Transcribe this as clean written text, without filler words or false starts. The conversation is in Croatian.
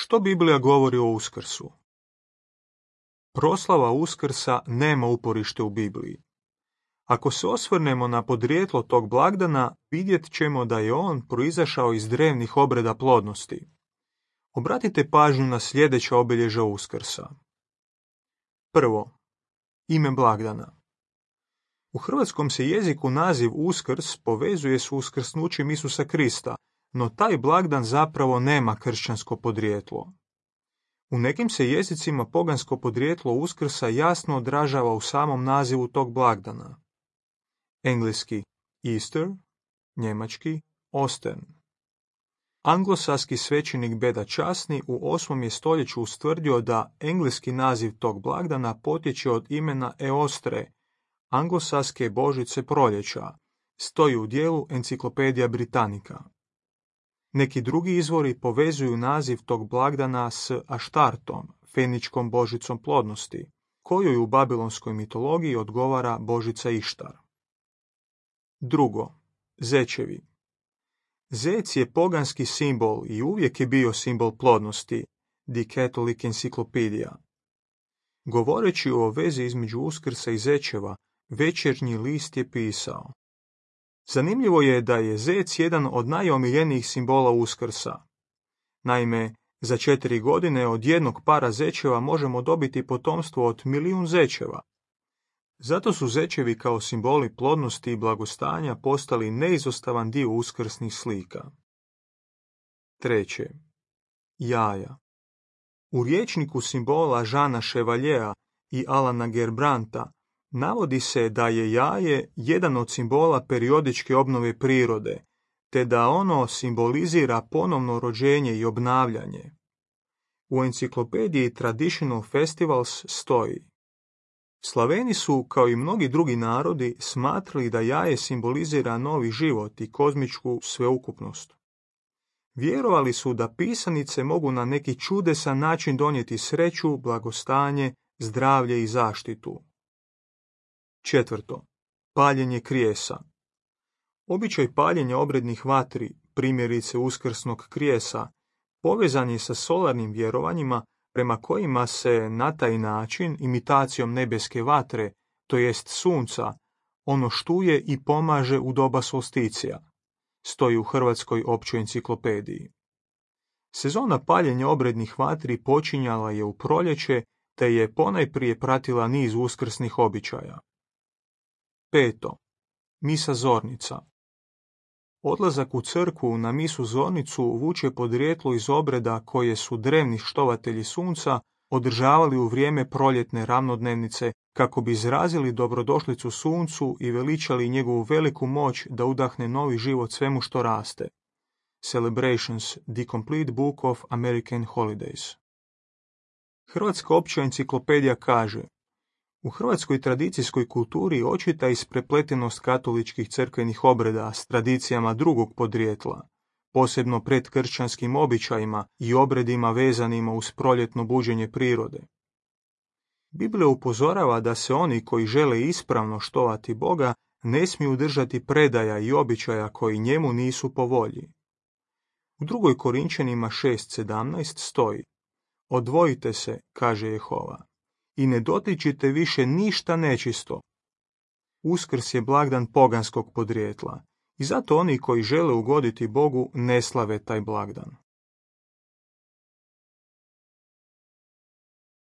Što Biblija govori o Uskrsu? Proslava Uskrsa nema uporište u Bibliji. Ako se osvrnemo na podrijetlo tog blagdana, vidjet ćemo da je on proizašao iz drevnih obreda plodnosti. Obratite pažnju na sljedeća obilježja Uskrsa. Prvo, ime blagdana. U hrvatskom se jeziku naziv Uskrs povezuje s uskrsnućem Isusa Krista, no taj blagdan zapravo nema kršćansko podrijetlo. U nekim se jezicima pogansko podrijetlo Uskrsa jasno odražava u samom nazivu tog blagdana. Engleski Easter, njemački Ostern. Anglosaski svećenik Beda Časni u 8. je stoljeću ustvrdio da engleski naziv tog blagdana potječe od imena Eostre, anglosaske božice proljeća, stoji u dijelu Enciklopedija Britannica. Neki drugi izvori povezuju naziv tog blagdana s Aštartom, feničkom božicom plodnosti, kojoj u babilonskoj mitologiji odgovara božica Ištar. Drugo, zečevi. Zec je poganski simbol i uvijek je bio simbol plodnosti, The Catholic Encyclopedia. Govoreći o vezi između Uskrsa i zečeva, Večernji list je pisao: zanimljivo je da je zec jedan od najomiljenijih simbola Uskrsa. Naime, za 4 godine od jednog para zečeva možemo dobiti potomstvo od 1.000.000 zečeva. Zato su zečevi kao simboli plodnosti i blagostanja postali neizostavan dio uskrsnih slika. Treće, jaja. U rječniku simbola Žana Chevaljea i Alana Gerbranta navodi se da je jaje jedan od simbola periodičke obnove prirode, te da ono simbolizira ponovno rođenje i obnavljanje. U enciklopediji Traditional Festivals stoji: Slaveni su, kao i mnogi drugi narodi, smatrali da jaje simbolizira novi život i kozmičku sveukupnost. Vjerovali su da pisanice mogu na neki čudesan način donijeti sreću, blagostanje, zdravlje i zaštitu. Četvrto, paljenje krijesa. Običaj paljenja obrednih vatri, primjerice uskrsnog krijesa, povezan je sa solarnim vjerovanjima prema kojima se na taj način, imitacijom nebeske vatre, to jest sunca, ono štuje i pomaže u doba solsticija, stoji u Hrvatskoj općoj enciklopediji. Sezona paljenja obrednih vatri počinjala je u proljeće, te je ponajprije pratila niz uskrsnih običaja. Peto, misa zornica. Odlazak u crkvu na misu zornicu vuče podrijetlo iz obreda koje su drevni štovatelji sunca održavali u vrijeme proljetne ravnodnevnice kako bi izrazili dobrodošlicu suncu i veličali njegovu veliku moć da udahne novi život svemu što raste. Celebrations, The Complete Book of American Holidays. Hrvatska opća enciklopedija kaže: u hrvatskoj tradicijskoj kulturi očita isprepletenost katoličkih crkvenih obreda s tradicijama drugog podrijetla, posebno predkršćanskim običajima i obredima vezanima uz proljetno buđenje prirode. Biblija upozorava da se oni koji žele ispravno štovati Boga ne smiju držati predaja i običaja koji njemu nisu po volji. U 2. Korinčanima 6:17 stoji: odvojite se, kaže Jehova, i ne dotičite više ništa nečisto. Uskrs je blagdan poganskog podrijetla i zato oni koji žele ugoditi Bogu ne slave taj blagdan.